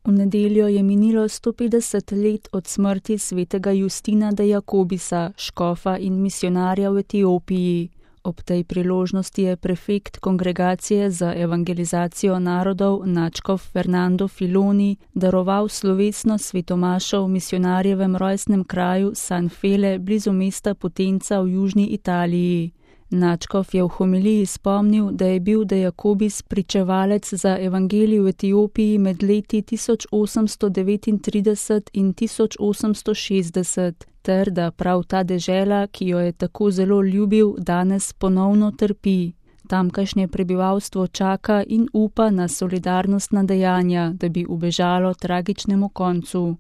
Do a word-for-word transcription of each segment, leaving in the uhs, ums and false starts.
V nedeljo je minilo sto petdeset let od smrti svetega Justina de Jakobisa, škofa in misijonarja v Etiopiji. Ob tej priložnosti je prefekt Kongregacije za evangelizacijo narodov nadškof Fernando Filoni daroval slovesno svetomašo v misijonarjevem rojstnem kraju San Fele blizu mesta Potenza v južni Italiji. Nadškof je v homiliji spomnil, da je bil de Jakobis pričevalec za evangelij v Etiopiji med leti tisoč osemsto devetintrideset in tisoč osemsto šestdeset, ter da prav ta dežela, ki jo je tako zelo ljubil, danes ponovno trpi. Tamkajšnje prebivalstvo čaka in upa na solidarnostna dejanja, da bi ubežalo tragičnemu koncu.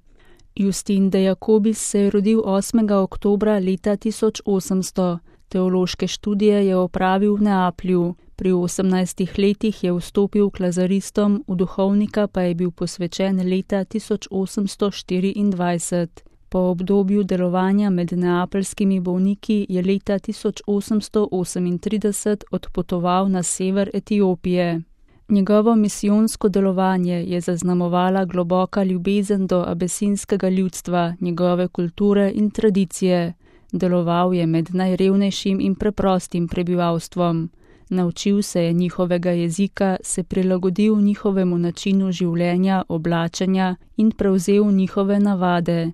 Justin de Jakobis se je rodil osmega oktobra leta tisoč osemsto. Teološke študije je opravil v Neaplju. Pri osemnajstih letih je vstopil k lazaristom, v duhovnika pa je bil posvečen leta tisoč osemsto štiriindvajset. Po obdobju delovanja med neapeljskimi bolniki je leta tisoč osemsto osemintrideset odpotoval na sever Etiopije. Njegovo misijonsko delovanje je zaznamovala globoka ljubezen do abesinskega ljudstva, njegove kulture in tradicije. Deloval je med najrevnejšim in preprostim prebivalstvom. Naučil se je njihovega jezika, se prilagodil njihovemu načinu življenja, oblačenja in prevzel njihove navade.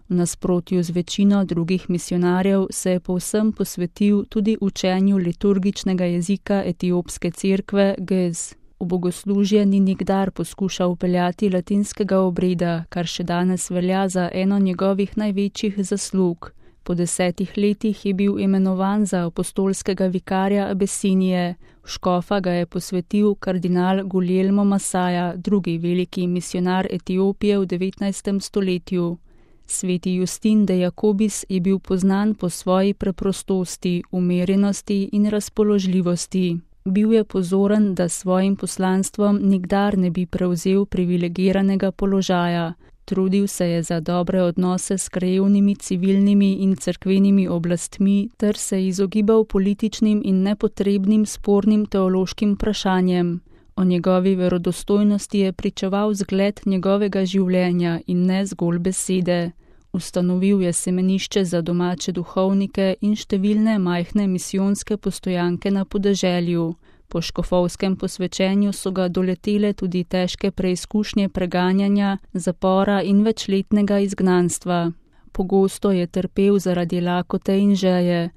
V nasprotju z večino drugih misijonarjev se je povsem posvetil tudi učenju liturgičnega jezika etiopske cerkve Gez. V bogoslužje ni nikdar poskušal vpeljati latinskega obreda, kar še danes velja za eno njegovih največjih zaslug. Po desetih letih je bil imenovan za apostolskega vikarja Abesinije. V škofa ga je posvetil kardinal Guglielmo Masaja, drugi veliki misijonar Etiopije v devetnajstem stoletju. Sveti Justin de Jakobis je bil poznan po svoji preprostosti, umirjenosti in razpoložljivosti. Bil je pozoren, da s svojim poslanstvom nikdar ne bi prevzel privilegiranega položaja. Trudil se je za dobre odnose s krajevnimi civilnimi in cerkvenimi oblastmi ter se izogibal političnim in nepotrebnim spornim teološkim vprašanjem. O njegovi verodostojnosti je pričeval zgled njegovega življenja in ne zgolj besede. Ustanovil je semenišče za domače duhovnike in številne majhne misijonske postojanke na podeželju. Po škofovskem posvečenju so ga doletele tudi težke preizkušnje preganjanja, zapora in večletnega izgnanstva. Pogosto je trpel zaradi lakote in žeje.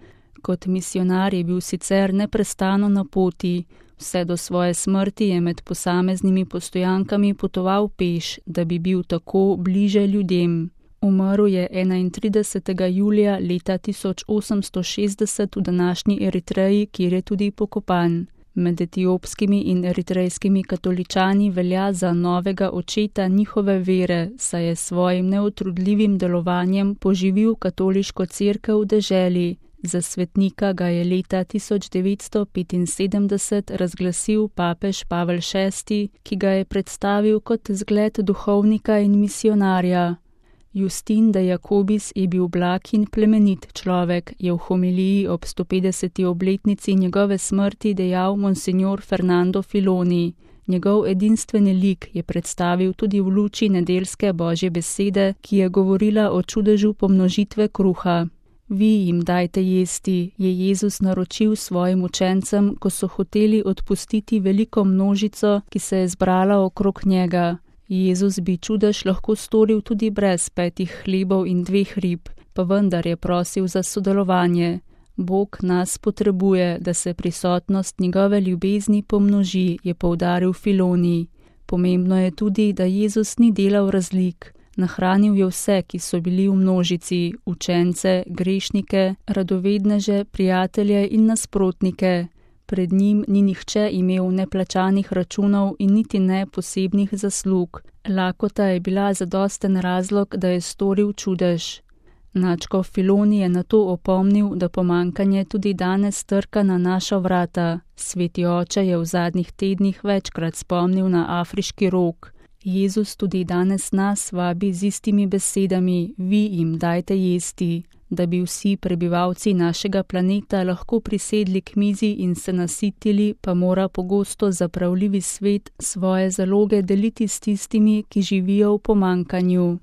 Kot misijonar je bil sicer neprestano na poti. Vse do svoje smrti je med posameznimi postojankami potoval peš, da bi bil tako bliže ljudem. Umrl je enaintridesetega julija leta tisoč osemsto šestdeset v današnji Eritreji, kjer je tudi pokopan. Med etiopskimi in eritrejskimi katoličani velja za novega očeta njihove vere, saj je svojim neutrudljivim delovanjem poživil katoliško cerkev v deželi. Za svetnika ga je leta tisoč devetsto petinsedemdeset razglasil papež Pavel šesti, ki ga je predstavil kot zgled duhovnika in misijonarja. Justin de Jakobis je bil blag in plemenit človek, je v homiliji ob stopetdeseti obletnici njegove smrti dejal monsignor Fernando Filoni. Njegov edinstveni lik je predstavil tudi v luči nedeljske Božje besede, ki je govorila o čudežu pomnožitve kruha. Vi jim dajte jesti, je Jezus naročil svojim učencem, ko so hoteli odpustiti veliko množico, ki se je zbrala okrog njega. Jezus bi čudež lahko storil tudi brez petih hlebov in dveh rib, pa vendar je prosil za sodelovanje. Bog nas potrebuje, da se prisotnost njegove ljubezni pomnoži, je poudaril Filoni. Pomembno je tudi, da Jezus ni delal razlik. Nahranil je vse, ki so bili v množici, učence, grešnike, radovedneže, prijatelje in nasprotnike. Pred njim ni nihče imel neplačanih računov in niti ne posebnih zaslug. Lakota je bila zadosten razlog, da je storil čudež. Nadškof Filoni je nato opomnil, da pomanjkanje tudi danes trka na naša vrata. Sveti oče je v zadnjih tednih večkrat spomnil na afriški rog. Jezus tudi danes nas vabi z istimi besedami, vi jim dajte jesti. Da bi vsi prebivalci našega planeta lahko prisedli k mizi in se nasitili, pa mora pogosto zapravljivi svet svoje zaloge deliti s tistimi, ki živijo v pomanjkanju.